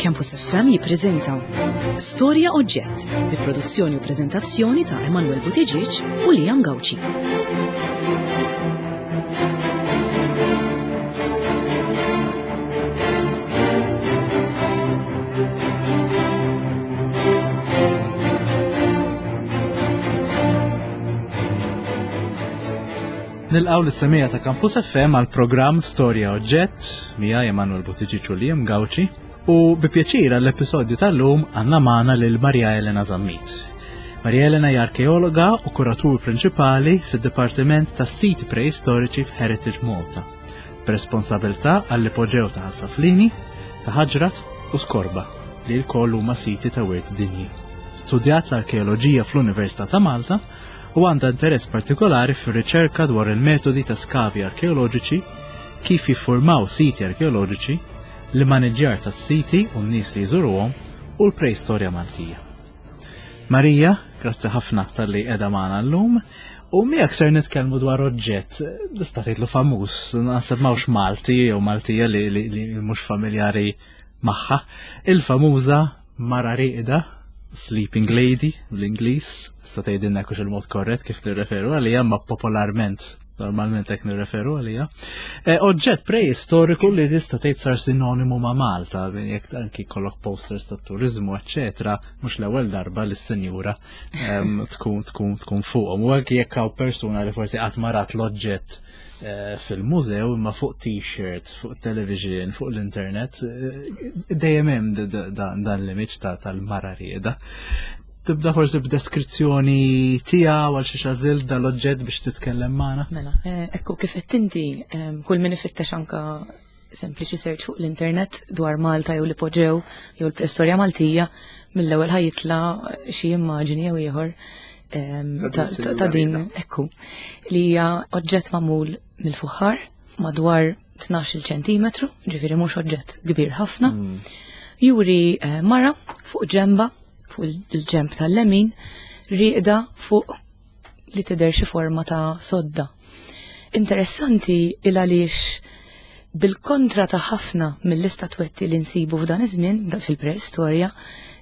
Campus FM jippreżenta Storja Oġġett bi produzzjoni u preżentazzjoni ta' Emanuel Buttigieg u Liam Gauci. Nilqaw l-semija ta' Campus FM għal programm Storja Oġġett mija Emanuel Buttigieg u Liam Gauci u bi pjaċir għall-episodju tal-lum għandna magħna lil Maria Elena Zammit. Maria Elena hija arkeologa u kuratur prinċipali fid-Dipartiment tas-Siti Preistoriċi f'Heritage Malta, b'responsabilità għall-ipoġew ta' Ħal-Saflini, ta' Ħaġrat u Skorba li lkoll huma siti ta' wirt dinji. Studjat l-arkeoloġija fl-Università ta' Malta u għandha interess partikolari fir-riċerka dwar il-metodi ta' skavi arkeoloġiċi, kif jiffurmaw siti arkeoloġiċi, l-immaniġġjar tas-siti u n-nies li jżuruhom u l-preistorja Maltija. Marija, grazzi ħafna talli qiegħda magħna llum. U miegħek ser nitkellmu dwar oġġett, tista' tgħidlu famuż, naħseb m'hawnx Malti jew Maltija li, li, li mhux familjari magħha, il-famuża mara rieqda, Sleeping Lady bl-Ingliż, tista' tgħidilna hekk il-mod korrett kif nirreferu għalija, ma popolarment normalment hekk nirreferu għalija. E, oġġett preistoriku li tista' tgħid sar sinonimu ma' Malta, jekk anki kollok posters ta' turizmu, eċċetera, mhux l-ewwel darba li s-sinjura tkun tkun tkun fuqhom. U anki jekk hawn persuna li forsi qatt ma rat l-oġġett Eh, fil-mużew imma fuq t-shirts, fuq television, fuq l-internet, eh, dejjem hemm dan l-image tal-mara rieda. Tibda forsi b'deskrizzjoni tiegħu għal xi xażil dal-oġġett biex titkellem magħna. Mela, eh, ekku kif qed inti kull min ifittex anka sempliċi search fuq l-internet dwar Malta jew l-ipoġew jew l-preistorja Maltija, mill-ewwel ħajitla xi immaġini jew ieħor ta' din ekku li hija oġġett magħmul mill-fuħħar madwar 12 ċentimetru, ġifieri mhux oġġett kbir ħafna. Mm. Juri eh, mara fuq ġemba, fuq il-ġemb tal-lemin, riqda fuq li tidher xi forma ta' sodda. Interessanti il għaliex bil-kontra ta' ħafna mill-istatwetti li nsibu f'dan iż-żmien fil-preistorja,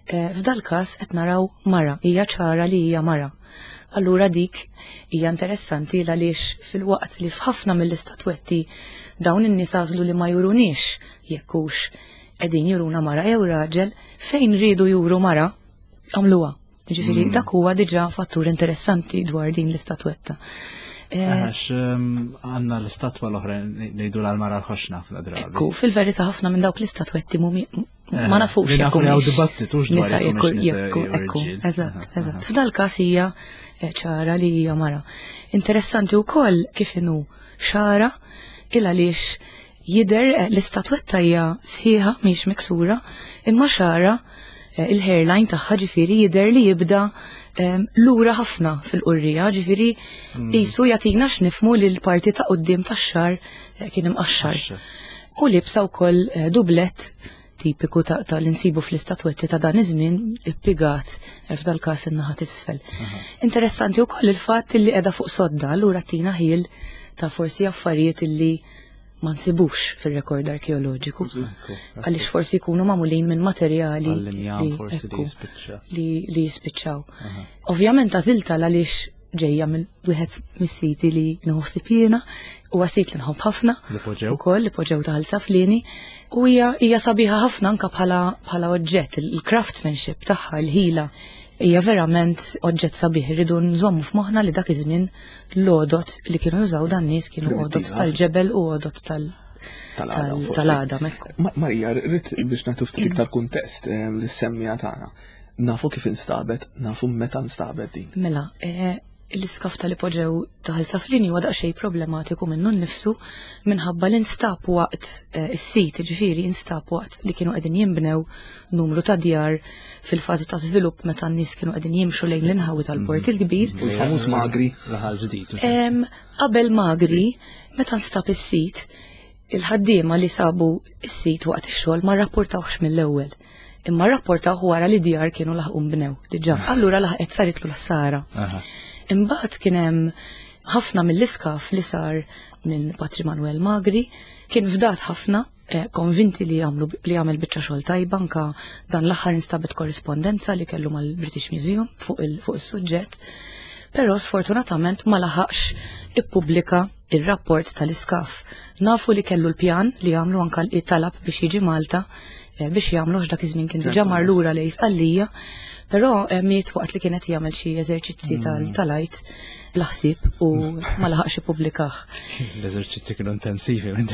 eh, f'dal-każ qed naraw mara, hija ċara li hija mara. Allura dik hija interessanti għaliex fil-waqt li f'ħafna mill-istatwetti dawn in-nies għażlu li ma juruniex jekk hux qegħdin juruna mara jew raġel, fejn riedu juru mara għamluha. Ġifieri mm. dak huwa diġà fattur interessanti dwar din l-istatwetta. Eh, Għax ehm, għanna l-istatwa l-oħra ngħidu l-mara l-ħoxna fl-drabi. Ekku, fil-verità ħafna minn dawk l-istatwetti mumi eh, ma nafux jekk hawn dibattitu nisa jekk ekku, eżatt, eżatt. F'dal każ hija eh, ċara li hija mara. Interessanti wkoll kif inhu xara il għaliex Jidher l-istatwetta hija sħiħa mhix miksura, imma xagħarha eh, il-hairline tagħha ġifieri jidher li jibda ehm, lura ħafna fil-qurrija, ġifieri mm. qisu jagħtina x'nifmu li l-parti ta' quddiem tax-xar eh, kien imqaxxar. U libsa wkoll eh, dublet tipiku ta' l-insibu fl-istatwetti ta' dan iż-żmien ippigat f'dal-każ in-naħa t'isfel. Interessanti wkoll il-fatt li qiegħda fuq sodda, allura tina ħil ta' forsi affarijiet illi ma nsibux fil-rekord arkeoloġiku. Għaliex forsi jkunu magħmulin minn materjali li jispiċċaw. Ovvjament għażilta għaliex ġejja minn wieħed mis-siti li nħossib jiena, huwa sit li nħobb ħafna. Ukoll li poġew ta' Saflini u hija hija sabiħa ħafna anka bħala bħala oġġett, il-craftsmanship tagħha, il-ħila hija verament oġġett sabiħ. Irridu nżommu f'moħħna li dak iż-żmien l-għodot li kienu jużaw dan nies kienu għodot tal-ġebel u għodot tal- tal-għadam. Marija, rrid biex nagħtu ftit iktar kuntest eh, lis-semmija tagħna. Nafu kif instabet, nafu meta nstabet din. Mela, eh, l-iskaf tal-ipoġew ta' Saflini huwa daqsxejn problematiku minnu nnifsu minħabba li nstab waqt eh, is-sit, ġifieri instab waqt li kienu qegħdin jinbnew numru ta' djar fil-fażi ta' żvilupp meta n-nies kienu qegħdin jimxu lejn l-inħawi tal-Port mhm. il-Kbir. U l-famuż Magri. Raħal ġdid. Qabel Magri, meta nstab is-sit, Il-ħaddiema li sabu s-sit waqt ix-xogħol ma rrapportawhx mill-ewwel, imma rrapportawh wara li djar kienu laħqu nbnew diġà. Allura laħqet saritlu l-ħsara. Imbagħad kien hemm ħafna mill-iskaf li sar minn Patri Manuel Magri kien fdat ħafna. eh, konvinti li għamlu li għamel biċċa xogħol tajba anka dan l-aħħar instabet korrispondenza li kellu mal-British Museum fuq il-suġġett. Però sfortunatament ma laħaqx ippubblika ir-rapport tal-iskaf. Nafu li kellu l-pjan li għamlu anka talab biex jiġi Malta eh, biex jagħmlu dak iż-żmien kien diġà mar lura lejn Sqallija, però eh, miet waqt li kienet jagħmel xi eżerċizzi mm. tal-għajt bla ħsieb u ma laħaqx ippubblikah. L-eżerċizzi kienu intensivi minn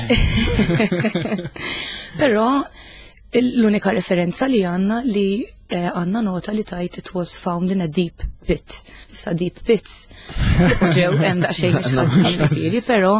Però l-unika referenza li għandna li eh, għandna nota li tajt it was found in a deep pit. Issa deep pits ġew hemm daqsxejn mhux ħażin ġifieri, però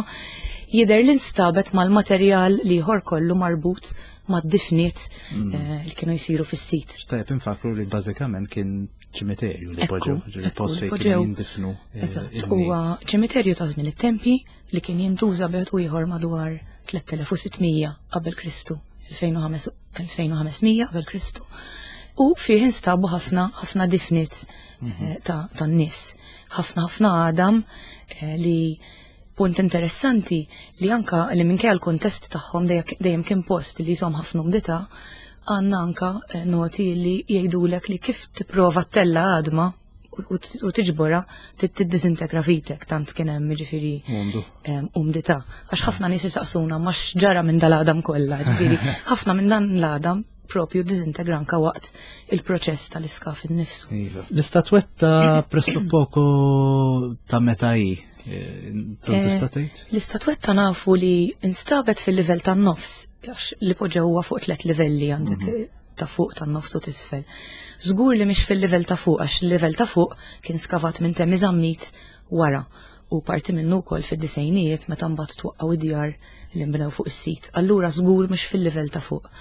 jidher li nstabet mal-materjal li ieħor kollu marbut mad-difniet mm. eh, li kienu jsiru fis-sit. Tajjeb infakru li bażikament kien ċimiterju li poġġew, ġifieri post fejn kienu jindifnu. Eh, Eżatt, huwa ċimiterju ta' żmien it-tempi li kien jintuża bejn u ieħor madwar 3600 qabel Kristu, 2500 qabel Kristu. U fih instabu ħafna ħafna difniet mhm. eh, ta' tan-nies, ħafna ħafna għadam eh, li punt interessanti li anka li minkejja l-kuntest tagħhom dejjem kien post li jżomm ħafna umdità, għandna anka eh, noti li jgħidulek li kif tipprova ttella għadma u tiġbora tiddisintegra fitek tant kien hemm ġifieri umdità. Għax ħafna nies isaqsuna ma x'ġara minn dal-għadam kollha, ġifieri ħafna minn dan l-għadam propju disintegra anka waqt il-proċess tal-iskaf innifsu. Iva. L-istatwetta pressuppoco ta' meta hi? Eh, tista' eh, tgħid? L-istatwetta nafu li instabet fil-livell tan-nofs, għax li poġġew huwa fuq tliet livelli għandek mhm. ta' fuq tan-nofs u tisfel. Żgur li mhix fil-livell ta' fuq għax il-livell ta' fuq kien skavat minn Temi Zammit wara u parti minnu wkoll fid-disejnijiet meta mbagħad twaqqgħu id-djar li nbnew fuq is-sit. Allura żgur mhux fil-livell ta' fuq.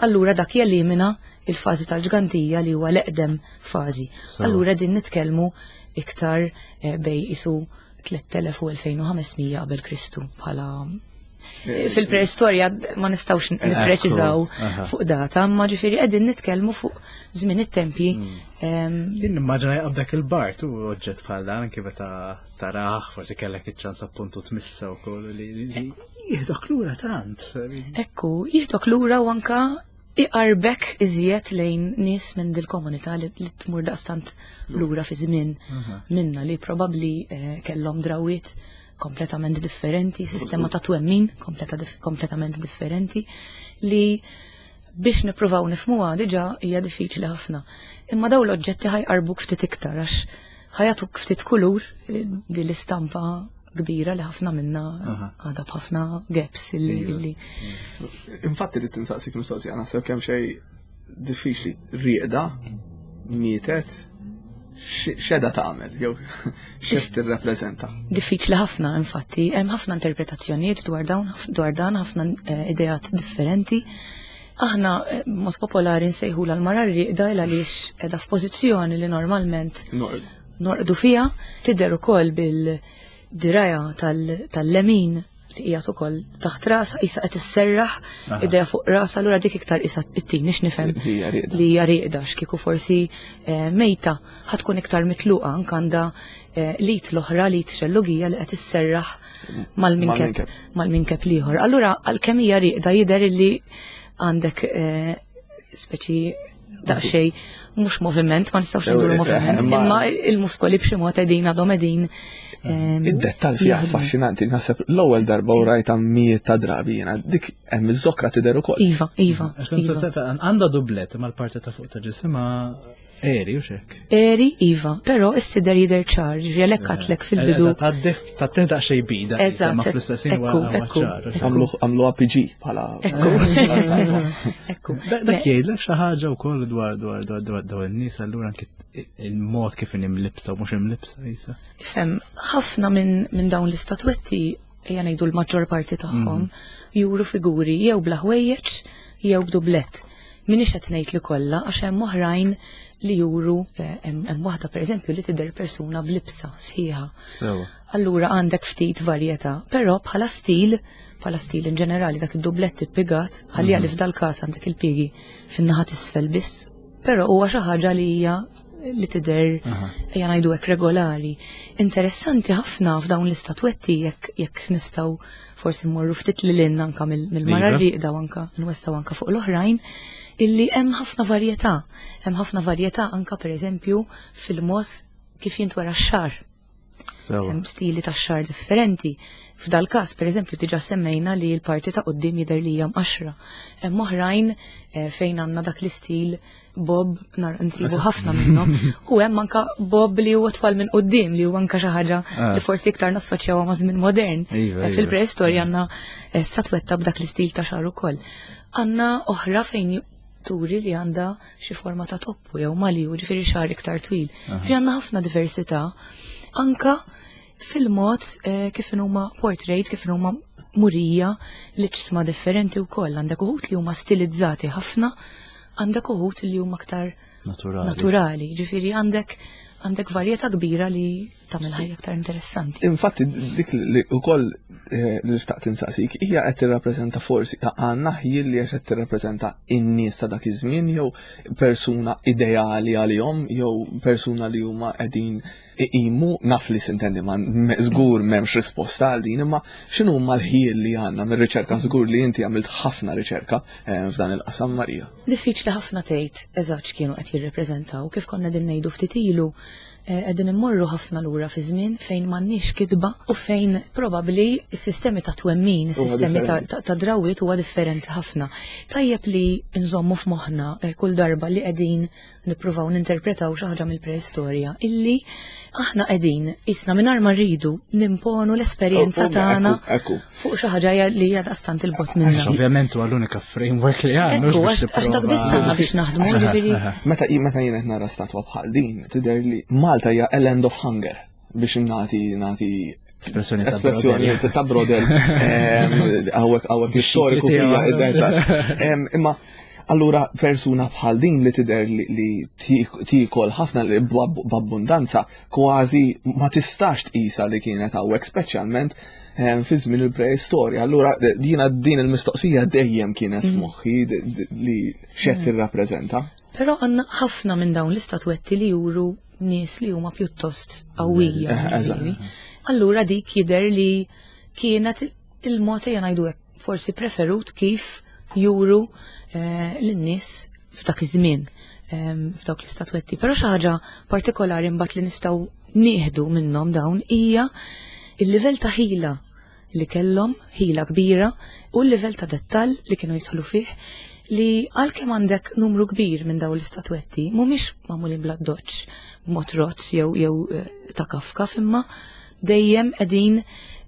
Allura dak jelimina il-fażi tal-ġgantija li huwa l-eqdem fażi. Allura din nitkellmu iktar eh, bej isu 3000 u 2500 qabel Kristu bħala eh, fil-preistorja ma nistawx nippreċiżaw fuq data, ma ġifieri qegħdin nitkellmu fuq żmien it-tempji. Hmm. Ehm, Jien nimmaġina jaqbdek il-bart u oġġett bħal dan anke meta taraħ, forsi kellek iċ-ċans appuntu tmissa wkoll li jieħdok lura tant. Ekku, jieħdok lura u anka iqarbek iżjed lejn nies minn dil-komunità li tmur daqstant lura fi żmien minna li probabbli eh, kellhom drawiet kompletament differenti, sistema ta' twemmin kompletament differenti li biex nippruvaw nifmuha diġà hija diffiċli ħafna. Imma daw l-oġġetti ħajqarbuk ftit iktar għax ħajatuk ftit kulur eh, din l-istampa kbira li ħafna minna għadha b'ħafna gaps illi. Iva. Infatti li tinsaqsik mistoqsija naħseb kemm xejn diffiċli rieqda mietet x'edha tagħmel jew x'qed tirrappreżenta. Diffiċli ħafna infatti, hemm ħafna interpretazzjonijiet dwar dawn dwar dan ħafna eh, ideat differenti. Aħna eh, mod popolari nsejħu l-mara rieqda il għaliex qiegħda f'pożizzjoni li normalment norqdu fiha, tidher ukoll bil-diraja tal-lemin li qiegħed ukoll taħt rasa qisha qed isserraħ idejha fuq rasa allura dik iktar qisha ittini x'nifhem li hija rieqda x'kieku forsi eh, mejta ħatkun iktar mitluqa anke għandha eh, lit l-oħra lit xellugija li qed isserraħ mal-minkeb mal-minkeb l-ieħor. Allura għalkemm hija rieqda jidher illi għandek eh, speċi daqsxejn mhux moviment, ma nistgħux ngħidu eh, moviment, imma il-muskoli b'xi mod qegħdin għadhom qegħdin. Ehm, Id-dettal fija affaxxinanti, naħseb l-ewwel darba u rajta mijiet ta' drabi jiena dik hemm iż-żokra tidher ukoll. Iva, iva. Iva. Għandha dublet imma l-parti ta' fuq ta' ġisimha Eri, u xek? Eri, iva, pero s-sider jider ċar, ġifri għalek għatlek fil-bidu. Ta' da xej bida. Eżatt. Ma fl-istessin ekku, ekku. Għamlu APG bħala. Ekku. Ekku. Dak jgħidlek xi ħaġa wkoll dwar dwar dwar dwar dwar in-nies allura anke il-mod kif imlibsa u mhux imlibsa jisa. Ifhem, ħafna minn dawn l-istatwetti ejja ngħidu l-maġġor parti tagħhom mm. juru figuri jew bla ħwejjeġ jew b'dublett. Minix qed ngħid li kollha għax hemm oħrajn li juru eh, hemm waħda pereżempju li tidher persuna b'libsa sħiħa. Allura għandek ftit varjetà, però bħala stil, bħala stil in ġenerali dak id-dublett ippigat, ħalli mm. għalif dal-każ għandek il-pigi fin-naħa t'isfel biss, però huwa xi ħaġa li hija li tidher ejja ngħidu hekk regolari. Interessanti ħafna f'dawn l-istatwetti jekk jekk nistgħu forsi mmorru ftit lil hinn anka mill-mara iva. rieqda u anka nwessaw anka fuq l-oħrajn illi hemm ħafna varjetà. Hemm ħafna varjetà anka pereżempju fil-mod kif jintwera x-xar. Hemm stili ta' xar differenti. F'dal każ, pereżempju, diġà semmejna li l-parti ta' quddiem jidher li hija mqaxra. Hemm oħrajn eh, fejn għandna dak l-istil bob nar nsibu ħafna minnhom. U hemm anka bob li huwa twal minn quddiem li huwa anka xi ħaġa ah. li forsi iktar nassoċjawha ma' żmien modern. Iva, eh, iva. Fil-preistorja għandna eh, statwetta b'dak l-istil ta' xar ukoll. Għandna oħra fejn turi li għandha xi forma ta' toppu jew mali, ġifieri xar iktar twil. Fi għandna ħafna diversità anka fil-mod eh, kif huma portrait, kif huma murija li ċsma differenti wkoll. Għandek uħut li huma stilizzati ħafna, għandek uħut li huma aktar naturali. Naturali, ġifieri għandek għandek varjetà kbira li tagħmel ħajja aktar interessanti. Infatti dik li wkoll eh, li xtaqt insaqsik hija qed tirrappreżenta forsi għandna ħjiel li qed tirrappreżenta in-nies ta' dak iż-żmien jew persuna ideali għalihom jew persuna li huma qegħdin iqimu naf li sintendi ma żgur m'hemmx risposta għal din imma x'inhu huma l-ħjiel li għandna mir-riċerka żgur li inti għamilt ħafna riċerka eh, f'dan il-qasam Marija. Diffiċli ħafna tgħid eżatt x'kienu qed jirrepreżentaw kif konna din ngħidu ftit ilu Eh, qegħdin immorru ħafna lura fi żmien fejn m'għandniex kitba u fejn probabbli s-sistemi ta' twemmin, is-sistemi ta' drawiet huwa differenti ħafna. Tajjeb li nżommu f'moħħna eh, kull darba li qegħdin nippruvaw ninterpretaw xi ħaġa mill-preistorja illi aħna qegħdin isna mingħajr ma rridu nimponu l-esperjenza oh, oh, tagħna fuq xi ħaġa li hija daqstant il-bot minna. Ovvjament huwa l-unika framework li għandna. Ekku, għax dak biss għandna biex naħdmu, ġifieri. Meta meta jien qed nara statwa bħal din, tidher li Malta hija a land of hunger biex nagħti nagħti espressjoni ta' brodel għawek għawek storiku Imma allura persuna bħal din li tidher li tikol ħafna li b'abbundanza kważi ma tistax tqisha li kienet hawnhekk speċjalment eh, fi żmien il-preistorja. Allura dina din il-mistoqsija dejjem kienet mm. f'moħħi li xed mm. tirrappreżenta. Però għandna ħafna minn dawn l-istatwetti li juru nies li huma pjuttost qawwija. Eh, Allura dik jidher li kienet il-mod ejja ngħidu hekk forsi preferut kif juru eh, lin-nies f'dak iż-żmien ehm, f'dawk l-istatwetti. Però xi ħaġa partikolari mbagħad li nistgħu nieħdu minnhom dawn hija il-livell ta' ħila li kellhom, ħila kbira, u l-livell ta' dettall li kienu jidħlu fih li għalkemm għandek numru kbir minn dawn l-istatwetti mhumiex magħmulin bla doċċ b'mod rozz jew jew eh, ta' kafkaf imma dejjem qegħdin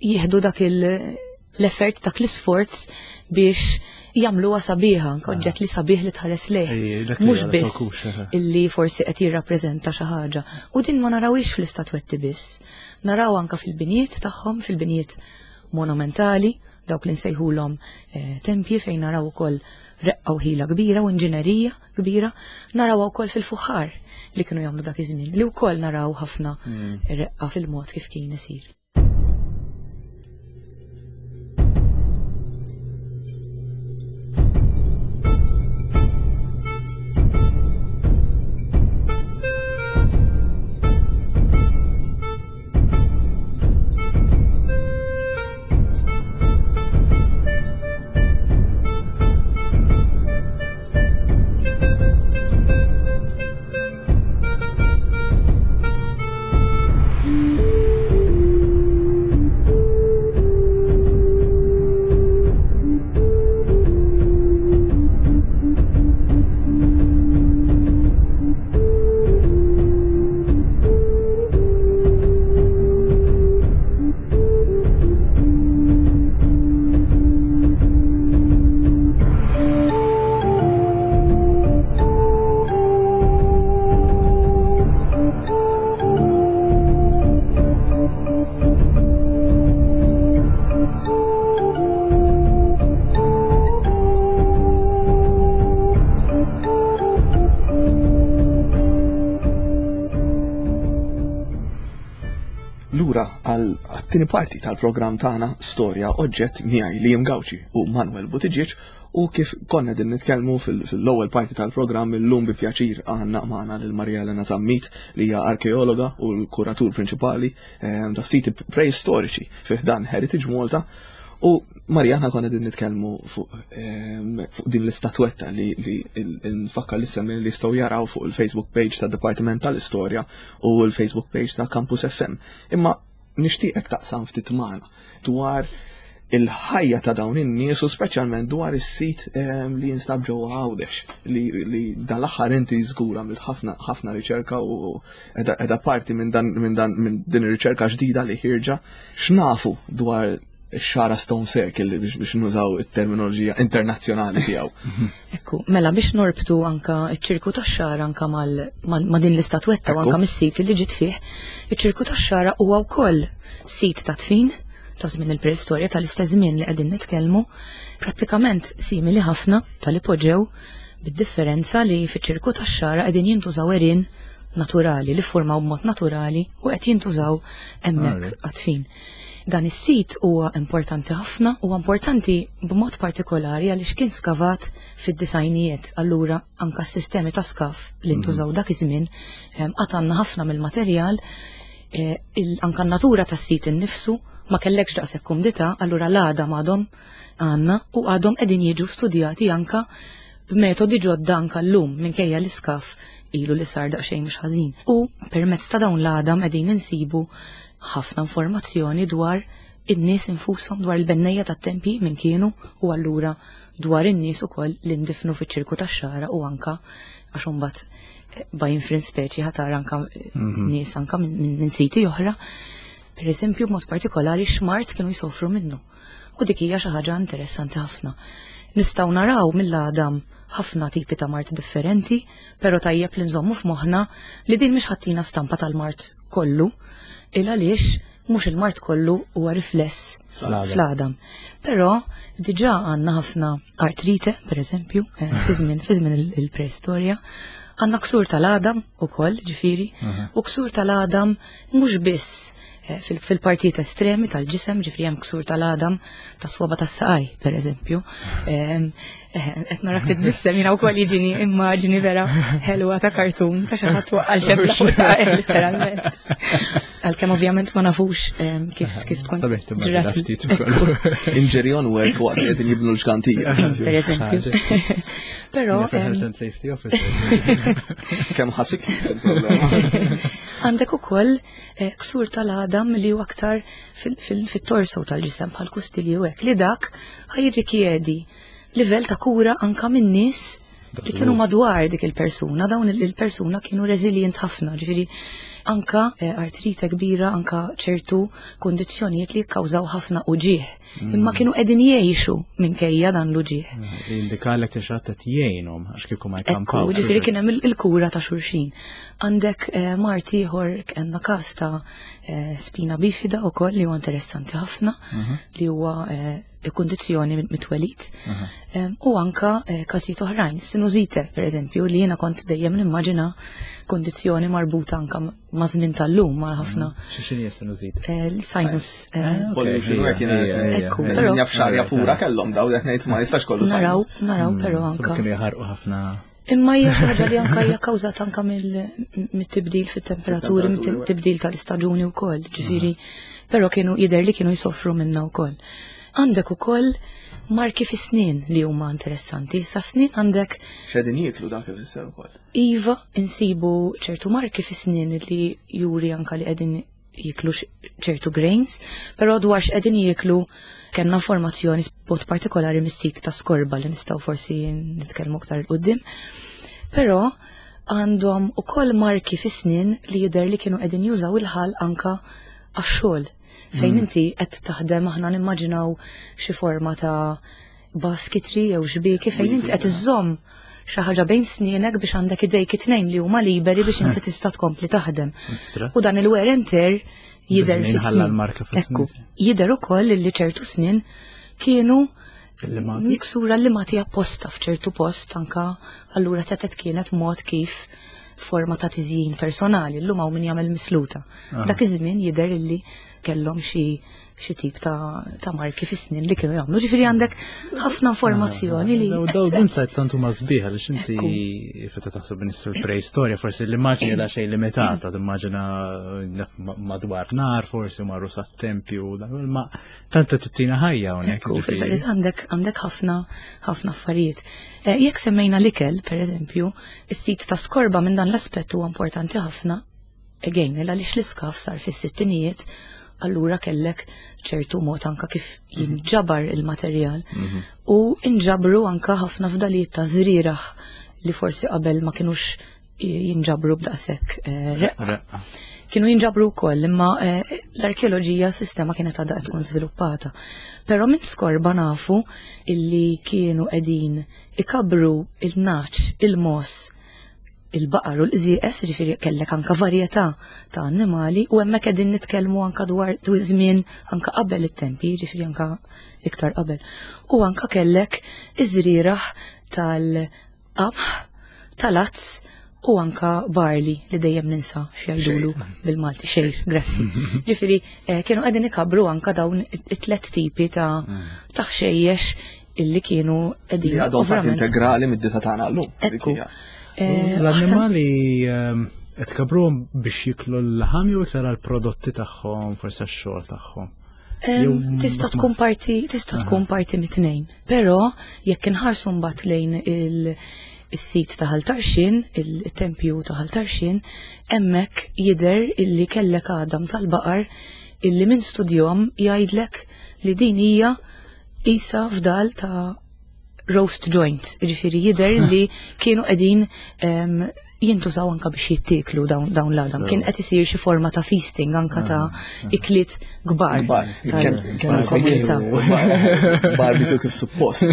jieħdu dak l-effort, dak l-isforz biex jagħmluha sabiħa, anke ah. oġġett li sabiħ li tħares lejh. Mhux biss illi forsi qed jirrappreżenta xi ħaġa. U din ma narawhiex fl-istatwetti biss. Naraw anke fil-binjiet tagħhom, fil-binjiet monumentali, dawk li nsejħulhom eh, tempji fejn naraw ukoll reqqa u ħila kbira u inġinerija kbira, narawha wkoll fil-fuħħar li kienu jagħmlu dak iż-żmien, li wkoll naraw ħafna hmm. reqqa fil-mod kif kien isir. Lura għal tieni parti tal-programm tagħna Storja Oġġett miegħi Liam Gauci u Manuel Buttigieg. U kif konna din nitkellmu fil-ewwel parti tal-programm illum bi pjaċir għandna magħna lil Maria Elena Zammit li hija arkeologa u l-kuratur prinċipali ehm, ta' siti preistoriċi fih dan Heritage Malta. U Marija aħna konna din nitkellmu fuq ehm, fuq din l-istatwetta li nfakkar li semmi li jistgħu jaraw fuq il-Facebook page ta' Dipartiment tal-Istorja u l-Facebook page ta' Campus FM. Imma nixtieqek taqsam ftit magħna dwar il-ħajja ta' dawn in-nies u speċjalment dwar is-sit ehm, li jinstab ġewwa Għawdex li, li dal-aħħar inti żgur għamilt ħafna ħafna riċerka u edha parti minn dan minn dan minn din ir-riċerka ġdida li ħirġa x'nafu dwar xara Stone Circle biex, biex nużaw it-terminoloġija internazzjonali tiegħu. Ekku, mela biex norbtu anka iċ-ċirku tax-xara anka ma' din l-istatwetta u anka mis-sit li ġiet fih, iċ-ċirku tax-xara huwa wkoll sit ta' tfin ta' żmien il-preistorja tal-istess żmien li qegħdin nitkellmu, prattikament simili ħafna tal-ipoġew bid-differenza li fiċ-ċirku tax-xara qegħdin jintużaw għerien naturali li ffurmaw b'mod naturali u qed jintużaw hemmhekk għat-tfin. Dan is-sit huwa importanti ħafna, huwa importanti b'mod partikolari għaliex kien skavat fid-disajnijiet, allura anka s-sistemi ta' skaf li ntużaw mhm. dak iż-żmien ehm, qatt għandna ħafna mill-materjal eh, anka n-natura tas-sit innifsu ma kellekx daqshekk kumdità, allura l-għada m'għadhom għandna u għadhom qegħdin jiġu studjati anka b'metodi ġodda anka llum minkejja l-iskaf ilu li sar daqsxejn mhux ħażin. U permezz ta' dawn l-għadam qegħdin insibu ħafna informazzjoni dwar in-nies infushom dwar il-bennejja tat-tempji min kienu u allura dwar in-nies ukoll li ndifnu fiċ-ċirku tax-xara u anka għax imbagħad eh, by inference speċi ħatar anka eh, mhm. nies anka minn siti oħra. Per eżempju, b'mod partikolari xmart kienu jsofru minnu. U dik hija xi ħaġa interessanti ħafna. Nistgħu naraw mill-għadam ħafna tipi ta' mart differenti, però tajjeb li nżommu f'moħħna li din mhix ħattina stampa tal-mart kollu, il għaliex mhux il-mart kollu huwa rifless fl-għadam. Però diġà għandna ħafna artrite, per eżempju, eh, fi żmien fi żmien il-preistorja, għandna ksur tal-għadam ukoll, ġifieri, u ksur tal-għadam mhux biss eh, fil-partijiet estremi tal-ġisem, ġifri hemm ksur tal-għadam tas-swaba tas-saqaj, per eżempju. Eh, qed narak titbissem jiena wkoll jiġini immaġni vera ħelwa ta' kartun ta' xi ħadd waqqal xebla fuq saqaj literalment. Għalkemm ovvjament ma nafux kif kif tkun. ġrat. Injury on work waqt li qegħdin jibnu l-ġgantija. Per eżempju. Però. Health and Safety Officer. Kemm ħasik il-problema. Għandek ukoll eh, ksur tal-għadam li huwa aktar fit-torso tal-ġisem bħal kustilji u hekk li dak ħajrikjedi livell ta' kura anka minn nies li kienu madwar dik il-persuna, dawn il-persuna kienu resilient ħafna, ġifieri anka eh, artrite kbira, anka ċertu kondizzjonijiet li kkawżaw ħafna uġieħ. Mm. Imma kienu qegħdin jgħixu minkejja dan l-uġieħ. Mm, indikalek li xatt qed jgħinhom għax kieku ma jkampaw. Ġifieri kien hemm il-kura ta' xulxin. Għandek eh, mart ieħor għandna każ ta' eh, spina bifida wkoll li huwa interessanti ħafna mhm. li huwa eh, kundizzjoni mit-twelid. Mhm. U anka każijiet oħrajn, sinusite pereżempju li jiena kont dejjem nimmaġina kundizzjoni marbuta anka ma' żmien tal-lum ma' ħafna. Mm. Xi xini sinusite? Eh, sinus. Eh, ah, Ekku, però. Jaf xarja pura kellhom daw qed ngħid ma jistax kollu. Naraw, naraw mm, però anka. Kienu jaħarqu ħafna. Imma hija xi ħaġa li anka hija kkawżata anka mit-tibdil fit-temperaturi, mit-tibdil tal-istaġuni wkoll, ġifieri, però kienu jidher li kienu jsofru minna wkoll. Għandek ukoll marki fis-snien li huma interessanti. Sa snien għandek. X'qegħdin jieklu dak ifisser ukoll. Iva, insibu ċertu marki fis-snien li juri anka li qegħdin jiklu ċertu grains, però dwar x'qegħdin jieklu kellna informazzjoni b'mod partikolari mis-sit ta' Skorba li nistgħu forsi nitkellmu aktar 'il quddiem. Però għandhom ukoll marki fis-snien li jidher li kienu qegħdin jużaw il-ħalq anka għax-xogħol. Fejn mm. inti qed taħdem aħna nimmaġinaw xi forma ta' basketry jew xbieki fejn inti qed iżżomm xi ħaġa bejn snienek biex għandek idejk it-tnejn li huma liberi biex inti tista' tkompli taħdem. U dan il-wear and tear jidher fis-snin. Ekku, jidher ukoll li ċertu snin kienu miksura li mati apposta f'ċertu post anka allura setet kienet mod kif forma ta' tiżjin personali, llum hawn min jagħmel misluta. Ah. Dak iż-żmien jidher illi kellhom xi xi tip ta', ta marki fis-snin li kienu jagħmlu. Ġifieri għandek ħafna informazzjoni li. Daw l-insights tant huma sbieħ għaliex inti feta taħseb nies fil-preistorja forsi l-immaġni da xejn limitata, timmaġina madwar nar forsi marru sat-tempju, ma tant tittina ħajja hawnhekk. Fil-verità għandek għandek ħafna ħafna affarijiet. Eh, jekk semmejna l-ikel, pereżempju, is-sit ta' skorba minn dan l-aspett huwa importanti ħafna Again, għaliex l-iskaf sar fis-sittinijiet, allura kellek ċertu mod anka kif mhm. jinġabar il-materjal mhm. u inġabru anka ħafna fdalijiet ta' żrieraħ li forsi qabel ma kinux jinġabru b'daqshekk eh, reqqa. Kienu jinġabru wkoll imma eh, l-arkeoloġija sistema kienet għadha qed tkun żviluppata. Però minn skorba nafu illi kienu qegħdin ikabru il-naċ, il-mos, il-baqar u l-qżieqes, ġifieri kellek anka varjetà ta' annimali u hemmhekk qegħdin nitkellmu anka dwar żmien anka qabel it-tempi, ġifieri anka iktar qabel. U anka kellek iż-żrieraħ tal-qamħ, tal-azz u anka barli li dejjem ninsa x'jgħidulu bil-Malti xejr, grazzi. Ġifieri eh, kienu qegħdin ikabru anka dawn it-tlet tipi ta' mm. ta' ħxejjex illi kienu qegħdin. Li għadhom parti integrali mid-dieta tagħna llum. Ekku. Eh, L-annimali ehm, qed kabruhom biex jiklu l-laħam jew iktar għall-prodotti tagħhom, forsi għax-xogħol tagħhom. Ehm, tista' tkun parti tista' tkun parti mit-tnejn. Però jekk inħarsu mbagħad lejn il- is-sit ta' Ħal Tarxien, il-tempju ta' Ħal Tarxien, hemmhekk jidher illi kellek għadam tal-baqar illi minn studjom jgħidlek li din hija Isa fdal ta' roast joint, ġifiri jider li kienu qegħdin jintużaw anka biex jittiklu dawn l-għadam. Kien qed isir xi forma ta' feasting anka ta' ah, ah. ikliet kbar. Barbecue kif suppost.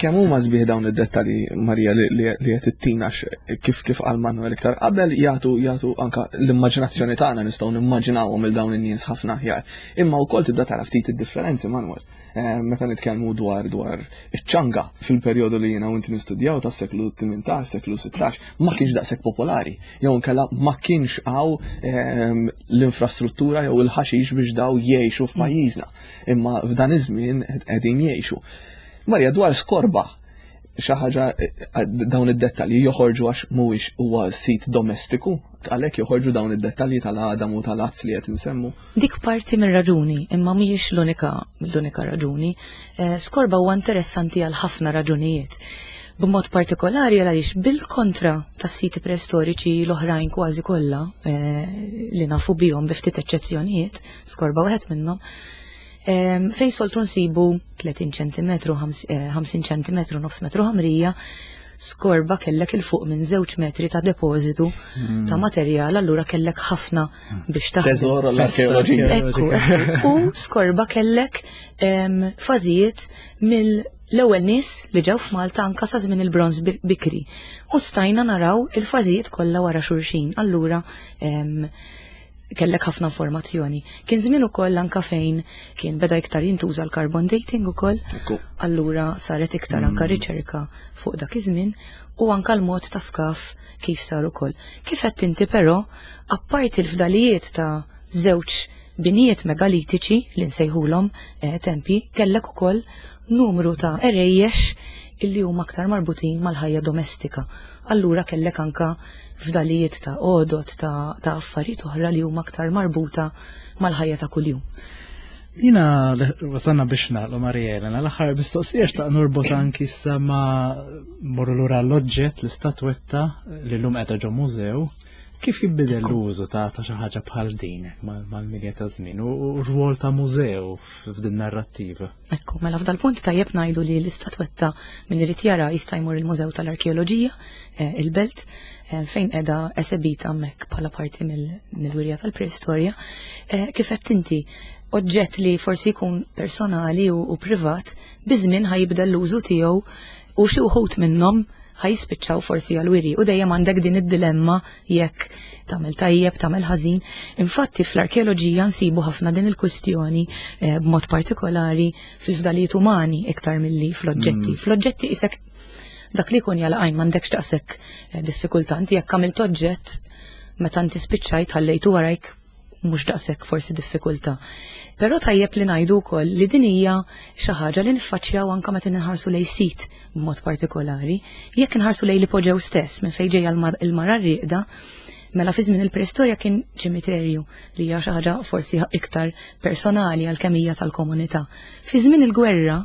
Kemm huma sbieħ dawn id-dettalji Marija li qed ittina kif kif qal Manuel iktar qabel jagħtu jagħtu anka l-immaġinazzjoni tagħna nistgħu nimmaġinawhom il dawn in-nies ħafna aħjar. Imma wkoll tibda tara ftit id-differenzi Manuel. Eh, meta nitkellmu dwar dwar iċ-ċanga fil-perjodu li jiena u inti nistudjaw tas-seklu 18, seklu 16, ma kienx daqshekk popolari. Jew inkella ma kienx hawn ehm, l-infrastruttura jew il-ħaxix biex daw jgħixu f'pajjiżna. Imma f'dan iż-żmien qegħdin jgħixu. Marja dwar skorba xi ħaġa eh, eh, dawn id-dettalji joħorġu għax mhuwiex huwa sit domestiku, għalhekk joħorġu dawn id-dettalji tal-għadam u tal-azz li qed insemmu. Dik parti mir-raġuni, imma mhijiex l-unika l-unika raġuni. Eh, skorba huwa interessanti għal ħafna raġunijiet. B'mod partikolari għaliex bil-kontra tas-siti preistoriċi l-oħrajn kważi kollha li nafu bihom bi ftit eċċezzjonijiet, skorba wieħed minnhom, Fejn soltu nsibu 30 cm, 50 cm, nofs metru ħamrija, skorba kellek il fuq minn żewġ metri ta' depożitu hmm. ta' materjal, allura kellek ħafna biex taħdem. Teżor l-arkeoloġija. Ekku, u skorba kellek fażijiet mill l-ewwel nies li ġew f'Malta anka sa żmien il-bronż bikri. U stajna naraw il-fażijiet kollha wara xulxin. Allura kellek ħafna informazzjoni. Kien żmien ukoll anka fejn kien beda iktar jintuża l-carbon dating ukoll. Allura saret iktar anka mm. riċerka fuq dak iż-żmien u anka l-mod ta' skaf kif sar ukoll. Kif qed inti però, apparti l-fdalijiet ta' żewġ binijiet megalitiċi li nsejħulhom eh, tempi, kellek ukoll numru ta' erejjex illi huma aktar marbutin mal-ħajja domestika. Allura kellek anka fdalijiet ta' għodod ta', ta affarijiet oħra li huma aktar marbuta mal-ħajja ta' kuljum. Jina wasanna biex nagħlqu Maria Elena, l-aħħar mistoqsija xtaq norbot anki issa ma morru lura l-oġġett l-istatwetta li llum qiegħda ġo mużew. Kif jibbidel l-użu ta' ta' xi ħaġa bħal din mal-milja ta' żmien u r-rwol ta' mużew f'din narrattiva? Ekku, mela f'dal-punt tajjeb ngħidu li l-istatwetta min irid jara jista' jmur il-Mużew tal-Arkeoloġija, eh, il-Belt, eh, fejn qiegħda esebita hemmhekk bħala parti mill-wirja tal-preistorja. Eh, kif qed inti oġġett li forsi jkun personali u privat, biż-żmien ħajibdel l-użu tiegħu u xi wħud minnhom ħajspiċċaw forsi għal-wiri u dejjem għandek din id-dilemma jekk tagħmel tajjeb, tagħmel ħażin. Infatti fl-arkeoloġija nsibu ħafna din il-kwistjoni eh, b'mod partikolari fil-fdalijiet umani iktar milli fl-oġġetti. Mm. Fl-oġġetti isek dak li jkun jalqajn m'għandekx daqshekk eh, diffikultà. Inti jekk għamilt oġġett meta inti spiċċajt ħallejtu warajk. mhux daqshekk forsi diffikultà. Però tajjeb li ngħidu wkoll li din hija xi ħaġa li niffaċċjaw anke meta nħarsu lejn sit b'mod partikolari. Jekk inħarsu lejn l-ipoġew stess minn fejn ġejja l-mara rieqda, mela fi żmien il-preistorja kien ċimiterju li hija xi ħaġa forsi iktar personali għalkemm hija tal-komunità. Fi żmien il-gwerra,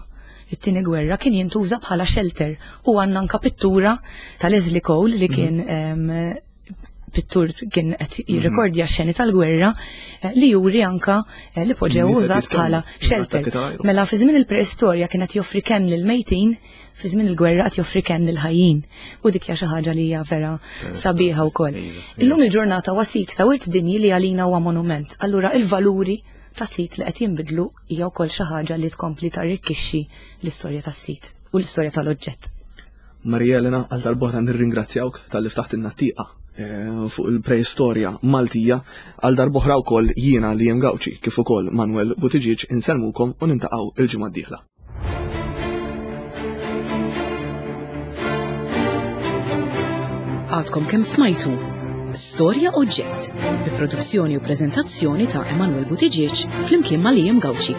it-tieni gwerra kien jintuża bħala shelter u għandna anka pittura ta' Leslie Cole li kien mhm. pittur kien qed mhm. jirrekordja xeni tal-gwerra eh, li juri anka eh, li poġew użat bħala shelter. Mela fi żmien il-preistorja kien qed joffri kenn lil mejtin, fi żmien il-gwerra qed joffri kenn lil ħajjin. U dik hija xi ħaġa li hija vera sabiħa wkoll. Iva, iva. Illum il-ġurnata huwa sit ta' wirt dinji li għalina huwa monument. Allura il-valuri ta' sit li qed jinbidlu hija wkoll xi ħaġa li tkompli tarrikkixxi l-istorja tas-sit u l-istorja tal-oġġett. Maria Elena, għal darb'oħra nirringrazzjawk talli ftaħtilna tieqa eh, fuq il-preistorja Maltija għal darb'oħra wkoll jiena li jem Gawċi kif ukoll Manuel Buttigieg insellmukom u nintaqgħu il-ġimgħa d-dieħla. Għadkom kemm smajtu Storja Oġġett bi produzzjoni u preżentazzjoni ta' Emanuel Buttigieg flimkien ma' Liam Gauci.